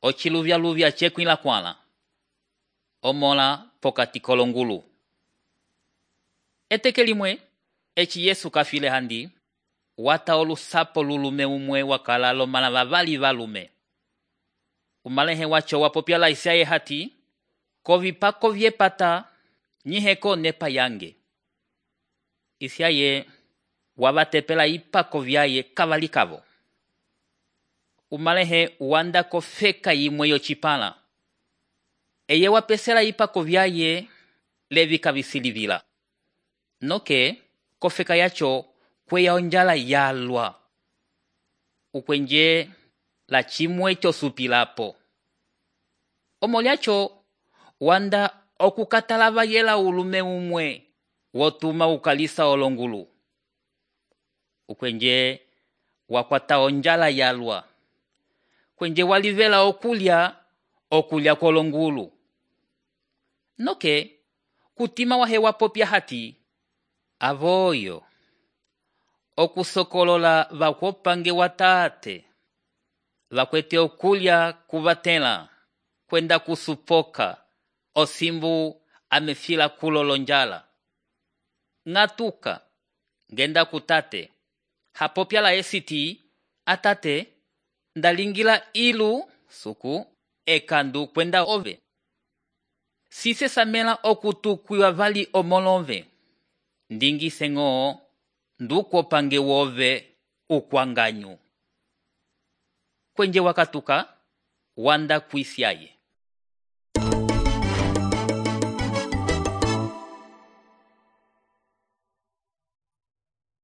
ociluvyaluvya cekwila kwala omola pokati kolongulu. Eteke limwe eci Yesu kafile handi wata olusapo lulume umwe wakala lomala vavali valume. Umalehe wacho wapopyala isaye hati kovipako vyepata nyiheko nepa yange. Isaye wavatepela ipako vyaye kavalikavo. Umalehe wanda kofeka yimwe yocipala. Eye wapesela ipako vyaye levi kavisilivila. Noke kofeka yacho kweya onjala yalwa. Ukwenje la chimwe chosupilapo. Omolyacho wanda okukatalava yela ulume umwe wotuma ukalisa olongulu. Ukwenje wakwata onjala yalwa. Kwenje walivela okulya kolongulu. Noke kutima wahewa popya hati avoyo okusokolola vakopange watate vakwete okulya kuvatela kwenda kusupoka osimbu amefila kulolonjala. Ngatuka ngenda kutate hapopya la esiti atate ndalingila ilu suku ekandu kwenda ove. Sise samela okutukwiwa vali omolove. Ndingi sengo nduko pange wove ukwanganyu. Kwenje wakatuka wanda kuisyaye.